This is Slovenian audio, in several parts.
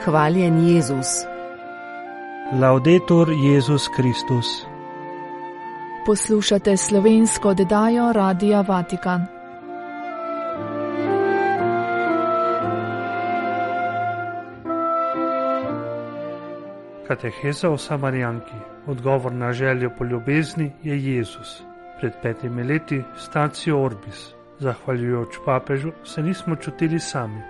Hvaljen Jezus. Laudetur Jezus Kristus. Poslušate slovensko oddajo Radia Vatikan. Kateheza o Samarijanki. Odgovor na željo po ljubezni je Jezus. Pred 5 leti Stacio Orbis. Zahvaljujoč papežu se nismo čutili sami.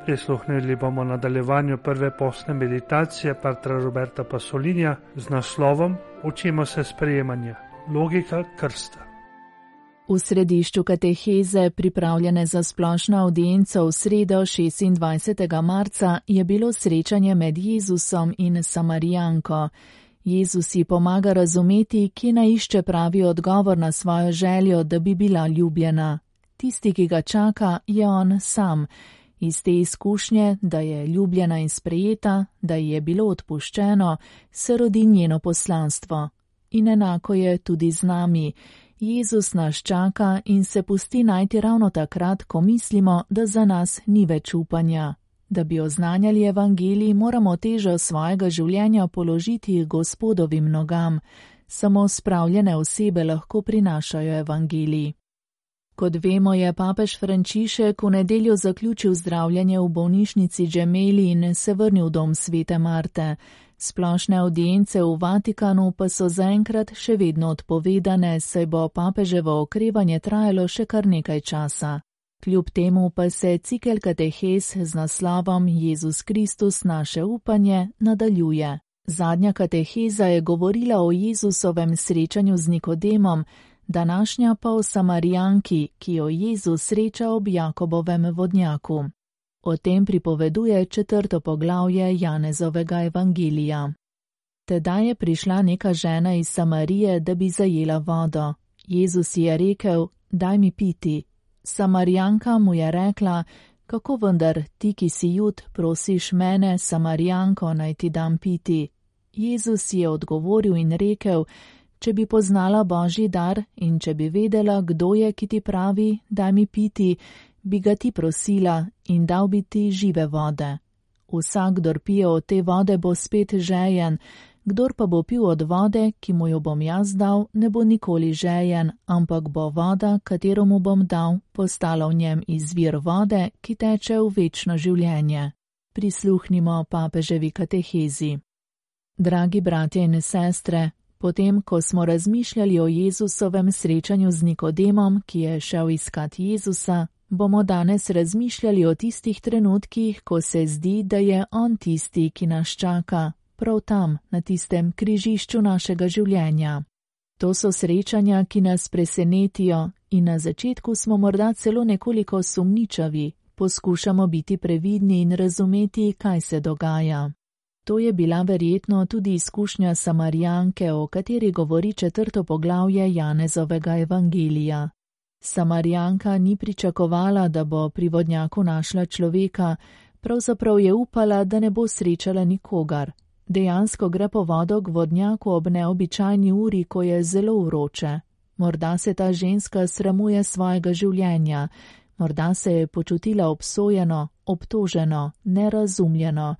Prisluhnili bomo nadaljevanju prve postne meditacije patra Roberta Pasolinja z naslovom Učimo se sprejemanja. Logika krsta. V središču kateheze, pripravljene za splošno avdienco v sredo 26. marca, je bilo srečanje med Jezusom in Samarijanko. Jezus ji pomaga razumeti, kje naišče pravi odgovor na svojo željo, da bi bila ljubljena. Tisti, ki ga čaka, je on sam. Iz te izkušnje, da je ljubljena in sprejeta, da ji je bilo odpuščeno, se rodi njeno poslanstvo. In enako je tudi z nami. Jezus nas čaka in se pusti najti ravno takrat, ko mislimo, da za nas ni več upanja. Da bi oznanjali evangelij, moramo težo svojega življenja položiti Gospodovim nogam. Samo spravljene osebe lahko prinašajo evangelij. Kot vemo, je papež Frančišek v nedeljo zaključil zdravljenje v bolnišnici Gemelli in se vrnil v dom Svete Marte. Splošne avdience v Vatikanu pa so zaenkrat še vedno odpovedane, saj bo papeževo okrevanje trajalo še kar nekaj časa. Kljub temu pa se cikel katehez z naslovom Jezus Kristus naše upanje nadaljuje. Zadnja kateheza je govorila o Jezusovem srečanju z Nikodemom, današnja pa o Samarijanki, ki jo Jezus sreča ob Jakobovem vodnjaku. O tem pripoveduje 4. poglavje Janezovega evangelija. Tedaj je prišla neka žena iz Samarije, da bi zajela vodo. Jezus ji je rekel, daj mi piti. Samarijanka mu je rekla, kako vendar ti, ki si Jud, prosiš mene, Samarijanko, naj ti dam piti. Jezus je odgovoril in rekel, če bi poznala Božji dar in če bi vedela, kdo je, ki ti pravi, daj mi piti, bi ga ti prosila in dal bi ti žive vode. Vsak, kdor pije od te vode, bo spet žejen, kdor pa bo pil od vode, ki mu jo bom jaz dal, ne bo nikoli žejen, ampak bo voda, katero mu bom dal, postala v njem izvir vode, ki teče v večno življenje. Prisluhnimo papeževi katehezi. Dragi bratje in sestre, potem, ko smo razmišljali o Jezusovem srečanju z Nikodemom, ki je šel iskat Jezusa, bomo danes razmišljali o tistih trenutkih, ko se zdi, da je on tisti, ki nas čaka, prav tam, na tistem križišču našega življenja. To so srečanja, ki nas presenetijo in na začetku smo morda celo nekoliko sumničavi, poskušamo biti previdni in razumeti, kaj se dogaja. To je bila verjetno tudi izkušnja Samarijanke, o kateri govori 4. poglavje Janezovega evangelija. Samarijanka ni pričakovala, da bo pri vodnjaku našla človeka, pravzaprav je upala, da ne bo srečala nikogar. Dejansko gre po vodo k vodnjaku ob neobičajni uri, ko je zelo vroče. Morda se ta ženska sramuje svojega življenja, morda se je počutila obsojeno, obtoženo, nerazumljeno.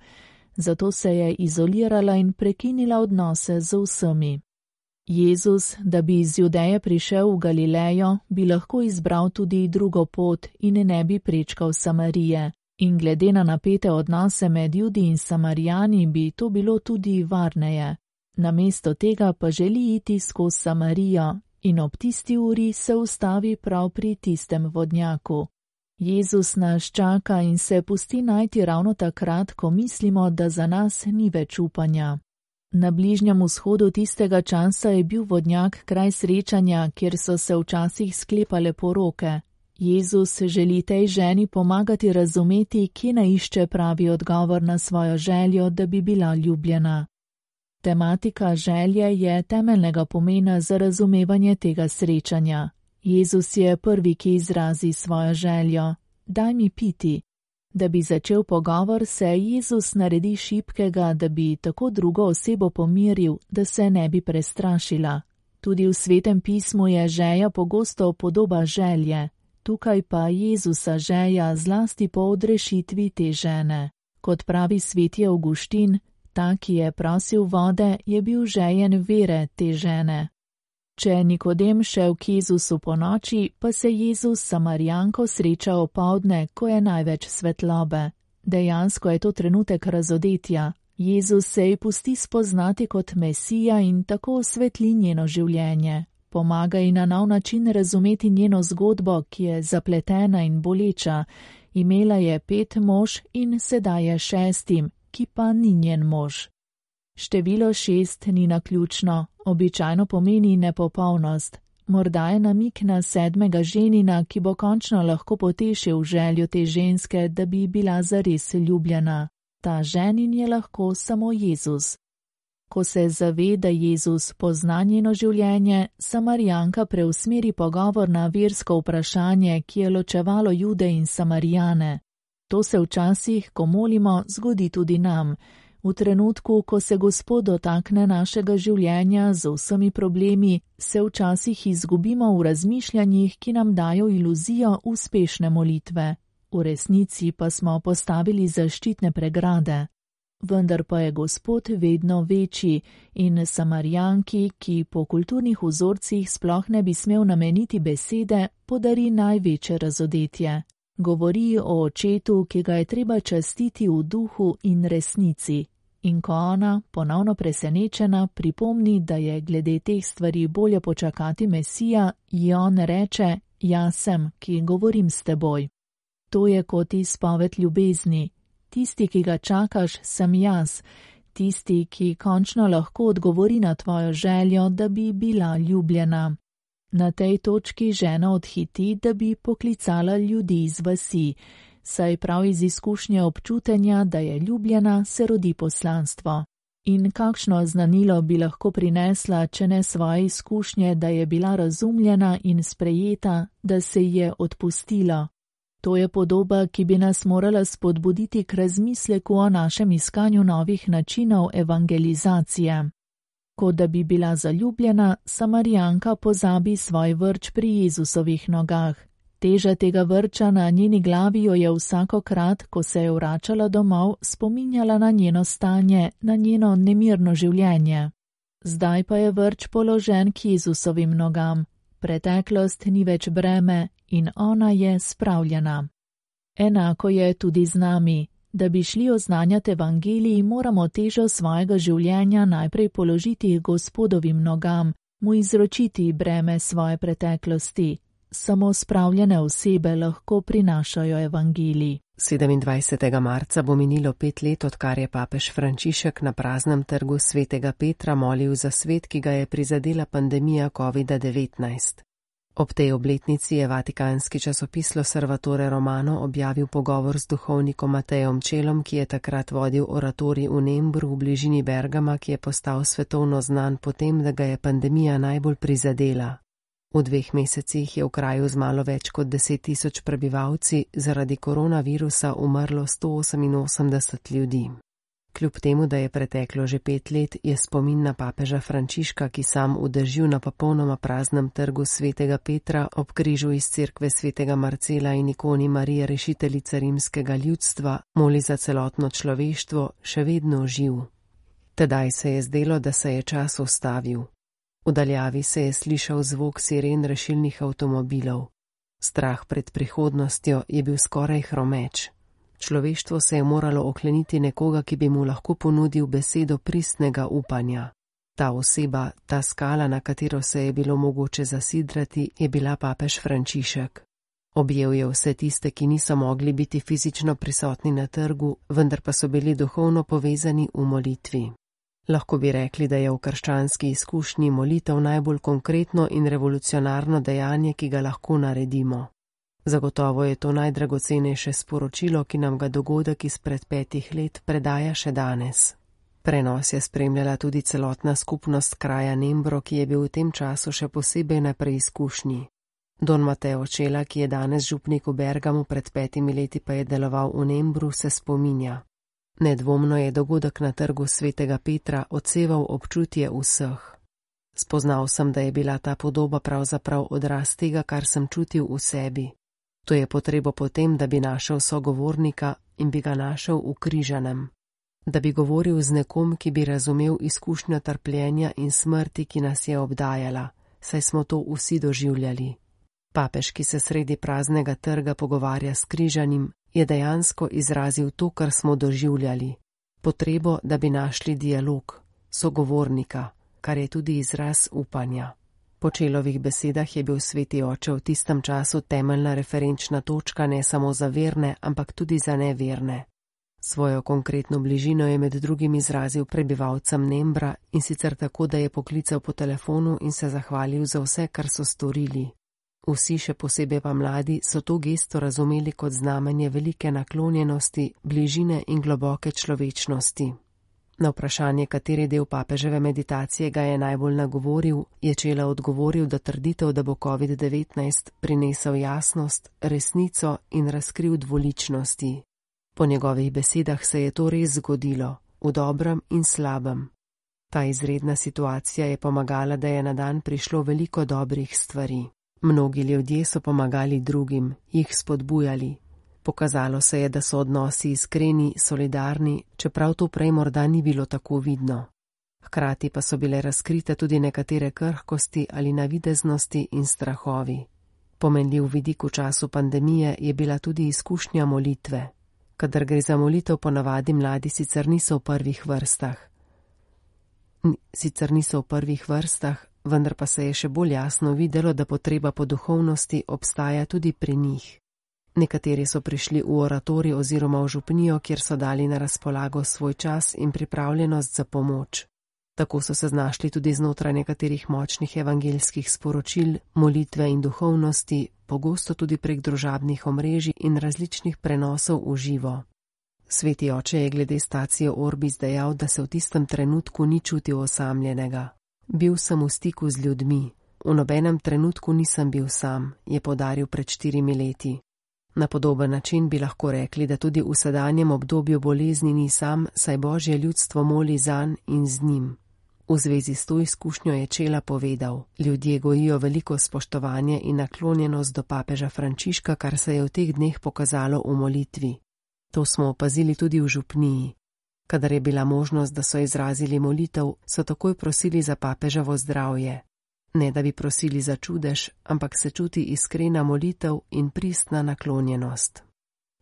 Zato se je izolirala in prekinila odnose z vsemi. Jezus, da bi iz Judeje prišel v Galilejo, bi lahko izbral tudi drugo pot in ne bi prečkal Samarije. In glede na napete odnose med Judi in Samarijani bi to bilo tudi varneje. Namesto tega pa želi iti skozi Samarijo in ob tisti uri se ustavi prav pri tistem vodnjaku. Jezus nas čaka in se pusti najti ravno takrat, ko mislimo, da za nas ni več upanja. Na Bližnjem vzhodu tistega časa je bil vodnjak kraj srečanja, kjer so se včasih sklepale poroke. Jezus želi tej ženi pomagati razumeti, kje naišče pravi odgovor na svojo željo, da bi bila ljubljena. Tematika želje je temeljnega pomena za razumevanje tega srečanja. Jezus je prvi, ki izrazi svojo željo. Daj mi piti. Da bi začel pogovor, se Jezus naredi šibkega, da bi tako drugo osebo pomiril, da se ne bi prestrašila. Tudi v Svetem pismu je želja pogosto podoba želje. Tukaj pa Jezusa želja zlasti po odrešitvi te žene. Kot pravi sveti Avguštin, ta, ki je prosil vode, je bil žejen vere te žene. Če je Nikodem šel k Jezusu po noči, pa se Jezus s Samarijanko sreča opoldne, ko je največ svetlobe. Dejansko je to trenutek razodetja. Jezus se ji pusti spoznati kot Mesija in tako osvetli njeno življenje. Pomaga ji na nov način razumeti njeno zgodbo, ki je zapletena in boleča. Imela je 5 mož in sedaj je 6, ki pa ni njen mož. Število 6 ni naključno, običajno pomeni nepopolnost. Morda je namik na 7. ženina, ki bo končno lahko potešil željo te ženske, da bi bila zares ljubljena. Ta ženin je lahko samo Jezus. Ko se zave, da Jezus pozna njeno življenje, Samarijanka preusmeri pogovor na versko vprašanje, ki je ločevalo Jude in Samarijane. To se včasih, ko molimo, zgodi tudi nam. V trenutku, ko se Gospod dotakne našega življenja z vsemi problemi, se včasih izgubimo v razmišljanjih, ki nam dajo iluzijo uspešne molitve. V resnici pa smo postavili zaščitne pregrade. Vendar pa je Gospod vedno večji in Samarijanki, ki po kulturnih vzorcih sploh ne bi smel nameniti besede, podari največje razodetje. Govori o očetu, ki ga je treba častiti v duhu in resnici. In ko ona, ponovno presenečena, pripomni, da je glede teh stvari bolje počakati Mesija, ji on reče: Jaz sem, ki govorim s teboj. To je kot izpoved ljubezni. Tisti, ki ga čakaš, sem jaz. Tisti, ki končno lahko odgovori na tvojo željo, da bi bila ljubljena. Na tej točki žena odhiti, da bi poklicala ljudi iz vasi. Saj prav iz izkušnje občutenja, da je ljubljena, se rodi poslanstvo. In kakšno znanilo bi lahko prinesla, če ne svoje izkušnje, da je bila razumljena in sprejeta, da se ji je odpustilo. To je podoba, ki bi nas morala spodbuditi k razmisleku o našem iskanju novih načinov evangelizacije. Kot da bi bila zaljubljena, Samarijanka pozabi svoj vrč pri Jezusovih nogah. Teža tega vrča na njeni glavi jo je vsakokrat, ko se je vračala domov, spominjala na njeno stanje, na njeno nemirno življenje. Zdaj pa je vrč položen k Jezusovim nogam. Preteklost ni več breme in ona je spravljena. Enako je tudi z nami. Da bi šli oznanjati evangelij, moramo težo svojega življenja najprej položiti Gospodovim nogam, mu izročiti breme svoje preteklosti. Samo spravljene osebe lahko prinašajo evangelij. 27. marca bo minilo 5 let, odkar je papež Frančišek na praznem trgu svetega Petra molil za svet, ki ga je prizadela pandemija COVID-19. Ob tej obletnici je vatikanski časopis L'Osservatore Romano objavil pogovor z duhovnikom Matejem Čelom, ki je takrat vodil oratorij v Nembru v bližini Bergama, ki je postal svetovno znan potem, da ga je pandemija najbolj prizadela. V 2 mesecih je v kraju z malo več kot 10.000 prebivalci zaradi koronavirusa umrlo 188 ljudi. Kljub temu, da je preteklo že 5 let, je spomin na papeža Frančiška, ki sam v dežju na popolnoma praznem trgu svetega Petra ob križu iz cerkve svetega Marcela in ikoni Marije rešiteljice rimskega ljudstva moli za celotno človeštvo, še vedno živ. Tedaj se je zdelo, da se je čas ustavil. V daljavi se je slišal zvok siren rešilnih avtomobilov. Strah pred prihodnostjo je bil skoraj hromeč. Človeštvo se je moralo okleniti nekoga, ki bi mu lahko ponudil besedo pristnega upanja. Ta oseba, ta skala, na katero se je bilo mogoče zasidrati, je bila papež Frančišek. Objel je vse tiste, ki niso mogli biti fizično prisotni na trgu, vendar pa so bili duhovno povezani v molitvi. Lahko bi rekli, da je v krščanski izkušnji molitev najbolj konkretno in revolucionarno dejanje, ki ga lahko naredimo. Zagotovo je to najdragocenejše sporočilo, ki nam ga dogodek izpred 5 let predaja še danes. Prenos je spremljala tudi celotna skupnost kraja Nembro, ki je bil v tem času še posebej na preizkušnji. Don Mateo Čela, ki je danes župnik v Bergamu, pred 5 leti pa je deloval v Nembru, se spominja. Nedvomno je dogodek na trgu svetega Petra odseval občutje vseh. Spoznal sem, da je bila ta podoba pravzaprav odraz tega, kar sem čutil v sebi. To je potrebo potem, da bi našel sogovornika in bi ga našel v križanem. Da bi govoril z nekom, ki bi razumel izkušnjo trpljenja in smrti, ki nas je obdajala, saj smo to vsi doživljali. Papež, ki se sredi praznega trga pogovarja s križanim, je dejansko izrazil to, kar smo doživljali. Potrebo, da bi našli dialog, sogovornika, kar je tudi izraz upanja. Po Čelovih besedah je bil Sveti oče v tistem času temeljna referenčna točka ne samo za verne, ampak tudi za neverne. Svojo konkretno bližino je med drugim izrazil prebivalcem Nembra, in sicer tako, da je poklical po telefonu in se zahvalil za vse, kar so storili. Vsi, še posebej pa mladi, so to gesto razumeli kot znamenje velike naklonjenosti, bližine in globoke človečnosti. Na vprašanje, kateri del papeževe meditacije ga je najbolj nagovoril, je Čela odgovoril, da trditev, da bo COVID-19 prinesel jasnost, resnico in razkril dvoličnosti. Po njegovih besedah se je to res zgodilo, v dobrem in slabem. Ta izredna situacija je pomagala, da je na dan prišlo veliko dobrih stvari. Mnogi ljudje so pomagali drugim, jih spodbujali. Pokazalo se je, da so odnosi iskreni, solidarni, čeprav to prej morda ni bilo tako vidno. Hkrati pa so bile razkrite tudi nekatere krhkosti ali navideznosti in strahovi. Pomenljiv vidik v času pandemije je bila tudi izkušnja molitve. Kadar gre za molitev, ponavadi mladi sicer niso v prvih vrstah, vendar pa se je še bolj jasno videlo, da potreba po duhovnosti obstaja tudi pri njih. Nekateri so prišli v oratorij oziroma v župnijo, kjer so dali na razpolago svoj čas in pripravljenost za pomoč. Tako so se znašli tudi znotraj nekaterih močnih evangeljskih sporočil, molitve in duhovnosti, pogosto tudi prek družabnih omrežij in različnih prenosov v živo. Sveti oče je glede stacije Orbis dejal, da se v tistem trenutku ni čutil osamljenega. Bil sem v stiku z ljudmi. V nobenem trenutku nisem bil sam, je poudaril pred 4 leti. Na podoben način bi lahko rekli, da tudi v sedanjem obdobju bolezni ni sam, saj Božje ljudstvo moli zanj in z njim. V zvezi s to izkušnjo je Čela povedal: ljudje gojijo veliko spoštovanje in naklonjenost do papeža Frančiška, kar se je v teh dneh pokazalo v molitvi. To smo opazili tudi v župniji. Kadar je bila možnost, da so izrazili molitev, so takoj prosili za papeževo zdravje. Ne da bi prosili za čudež, ampak se čuti iskrena molitev in pristna naklonjenost.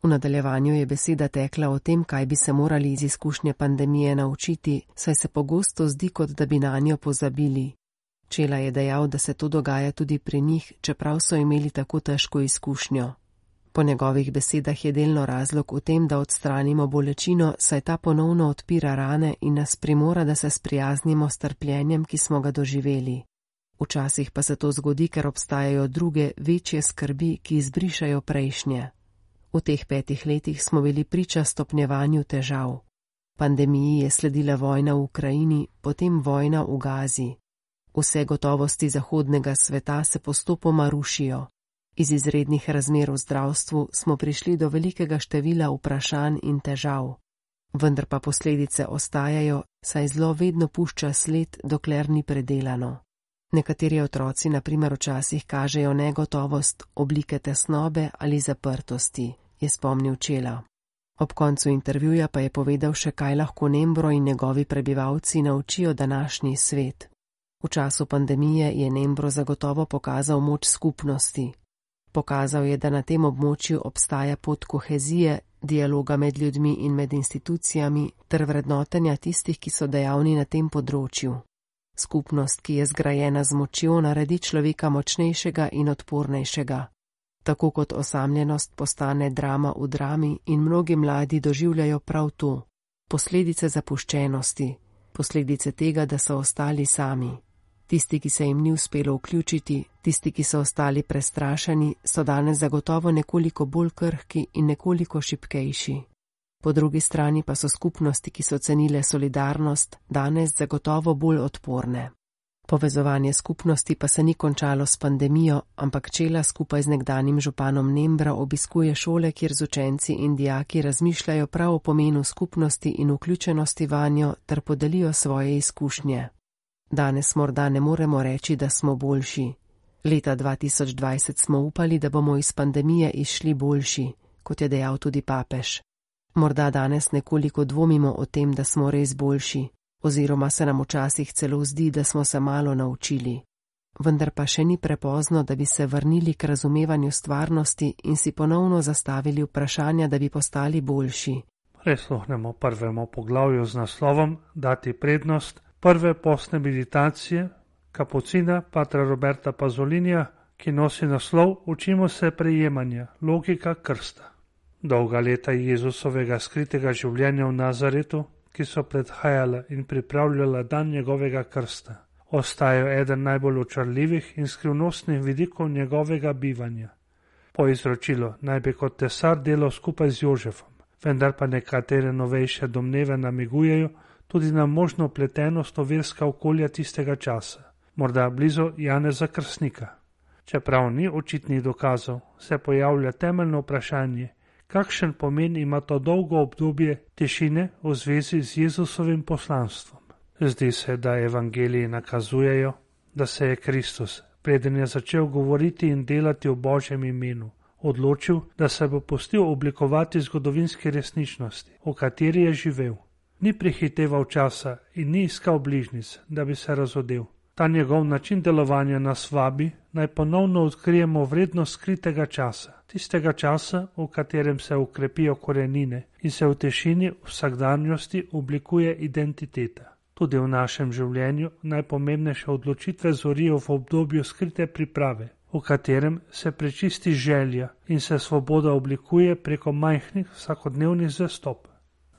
V nadaljevanju je beseda tekla o tem, kaj bi se morali iz izkušnje pandemije naučiti, saj se pogosto zdi, kot da bi nanjo pozabili. Čela je dejal, da se to dogaja tudi pri njih, čeprav so imeli tako težko izkušnjo. Po njegovih besedah je delno razlog v tem, da odstranimo bolečino, saj ta ponovno odpira rane in nas primora, da se sprijaznimo s trpljenjem, ki smo ga doživeli. Včasih pa se to zgodi, ker obstajajo druge, večje skrbi, ki izbrišajo prejšnje. V teh 5 letih smo bili priča stopnjevanju težav. Pandemiji je sledila vojna v Ukrajini, potem vojna v Gazi. Vse gotovosti zahodnega sveta se postopoma rušijo. Iz izrednih razmer v zdravstvu smo prišli do velikega števila vprašanj in težav. Vendar pa posledice ostajajo, saj zlo vedno pušča sled, dokler ni predelano. Nekateri otroci na primer včasih kažejo negotovost, oblike tesnobe ali zaprtosti, je spomnil Čela. Ob koncu intervjuja pa je povedal še, kaj lahko Nembro in njegovi prebivalci naučijo današnji svet. V času pandemije je Nembro zagotovo pokazal moč skupnosti. Pokazal je, da na tem območju obstaja pot kohezije, dialoga med ljudmi in med institucijami ter vrednotenja tistih, ki so dejavni na tem področju. Skupnost, ki je zgrajena z močjo, naredi človeka močnejšega in odpornejšega. Tako kot osamljenost postane drama v drami in mnogi mladi doživljajo prav to. Posledice zapuščenosti, posledice tega, da so ostali sami. Tisti, ki se jim ni uspelo vključiti, tisti, ki so ostali prestrašeni, so danes zagotovo nekoliko bolj krhki in nekoliko šibkejši. Po drugi strani pa so skupnosti, ki so cenile solidarnost, danes zagotovo bolj odporne. Povezovanje skupnosti pa se ni končalo s pandemijo, ampak Čela skupaj z nekdanjim županom Nembra obiskuje šole, kjer z učenci in dijaki razmišljajo prav o pomenu skupnosti in vključenosti vanjo ter podelijo svoje izkušnje. Danes morda ne moremo reči, da smo boljši. Leta 2020 smo upali, da bomo iz pandemije izšli boljši, kot je dejal tudi papež. Morda danes nekoliko dvomimo o tem, da smo res boljši, oziroma se nam včasih celo zdi, da smo se malo naučili. Vendar pa še ni prepozno, da bi se vrnili k razumevanju stvarnosti in si ponovno zastavili vprašanja, da bi postali boljši. Prisluhnemo prvemu poglavju z naslovom Dati prednost prve postne meditacije kapucina patra Roberta Pazolinija, ki nosi naslov Učimo se prejemanja, logika krsta. Dolga leta Jezusovega skritega življenja v Nazaretu, ki so predhajala in pripravljala dan njegovega krsta, ostajajo eden najbolj očarljivih in skrivnostnih vidikov njegovega bivanja. Po izročilu naj bi kot tesar delal skupaj z Jožefom, vendar pa nekatere novejše domneve namigujejo tudi na možno vpletenost v verska okolja tistega časa, morda blizu Janeza Krstnika. Čeprav ni očitnih dokazov, se pojavlja temeljno vprašanje, kakšen pomen ima to dolgo obdobje tišine v zvezi z Jezusovim poslanstvom. Zdi se, da evangeliji nakazujejo, da se je Kristus, preden je začel govoriti in delati v Božjem imenu, odločil, da se bo pustil oblikovati zgodovinske resničnosti, v kateri je živel. Ni prehiteval časa in ni iskal bližnjic, da bi se razodel. Ta njegov način delovanja nas vabi, naj ponovno odkrijemo vrednost skritega časa, tistega časa, v katerem se ukrepijo korenine in se v tišini vsakdanjosti oblikuje identiteta. Tudi v našem življenju najpomembnejše odločitve zorijo v obdobju skrite priprave, v katerem se prečisti želja in se svoboda oblikuje preko majhnih vsakodnevnih zastop.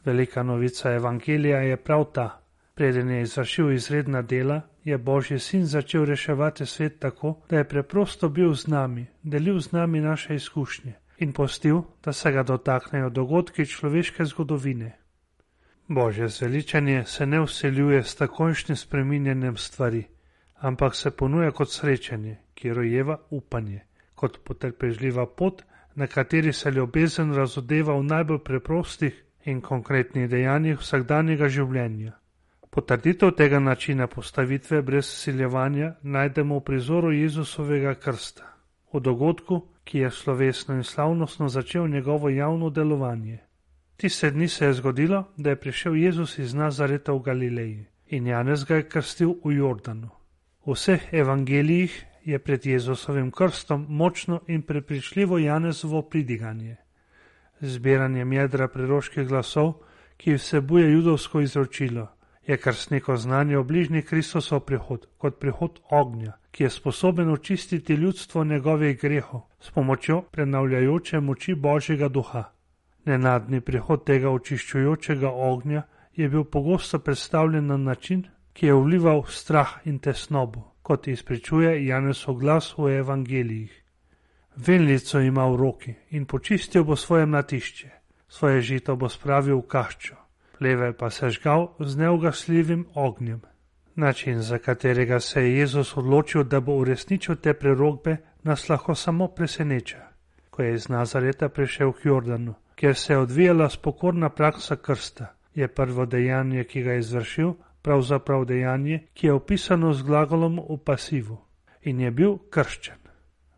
Velika novica evangelija je prav ta. Preden je izvršil izredna dela, je Božji sin začel reševati svet tako, da je preprosto bil z nami, delil z nami naše izkušnje in pustil, da se ga dotaknejo dogodki človeške zgodovine. Božje zveličanje se ne vseljuje s takojšnjim spreminjanjem stvari, ampak se ponuja kot srečanje, ki rojeva upanje, kot potrpežljiva pot, na kateri se ljubezen razodeva v najbolj preprostih in konkretnih dejanjih vsakdanjega življenja. Potrditev tega načina postavitve brez siljevanja najdemo v prizoru Jezusovega krsta, v dogodku, ki je slovesno in slavnostno začel njegovo javno delovanje. Tiste dni se je zgodilo, da je prišel Jezus iz Nazareta v Galileji in Janez ga je krstil v Jordanu. V vseh evangelijih je pred Jezusovim krstom močno in prepričljivo Janezovo pridiganje. Zbiranjem jedra preroških glasov, ki vsebuje judovsko izročilo, je krstniko znanje o bližnji Kristusov prihod, kot prihod ognja, ki je sposoben očistiti ljudstvo njegovih grehov s pomočjo prenavljajoče moči Božjega duha. Nenadni prihod tega očiščujočega ognja je bil pogosto predstavljen na način, ki je vlival strah in tesnobo, kot izpričuje Janezov glas v evangelijih. Venlico ima v roki in počistil bo svoje mlatišče, svoje žito bo spravil v kaščo, pleve pa se žgal z neugasljivim ognjem. Način, za katerega se je Jezus odločil, da bo uresničil te prerokbe, nas lahko samo preseneča. Ko je iz Nazareta prišel k Jordanu, kjer se je odvijala spokorna praksa krsta, je prvo dejanje, ki ga je izvršil, pravzaprav dejanje, ki je opisano z glagolom v pasivu, in je bil krščen.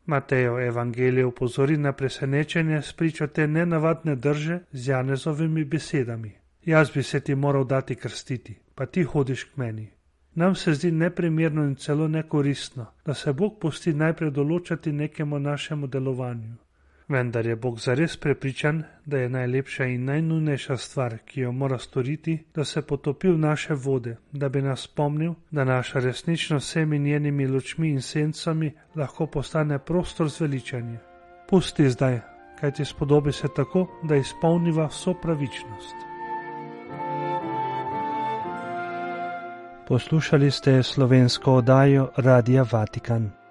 Matejev evangelij opozori na presenečenje spričo te nenavadne drže z Janezovimi besedami. Jaz bi se ti moral dati krstiti, pa ti hodiš k meni. Nam se zdi neprimerno in celo nekoristno, da se Bog pusti najprej določati nekemu našemu delovanju. Vendar je Bog zares prepričan, da je najlepša in najnujnejša stvar, ki jo mora storiti, da se potopi v naše vode, da bi nas spomnil, da naša resničnost vsemi njenimi lučmi in sencami lahko postane prostor zveličanja. Pusti zdaj, kaj ti spodobi se tako, da izpolniva vso pravičnost. Poslušali ste slovensko oddajo Radia Vatikan.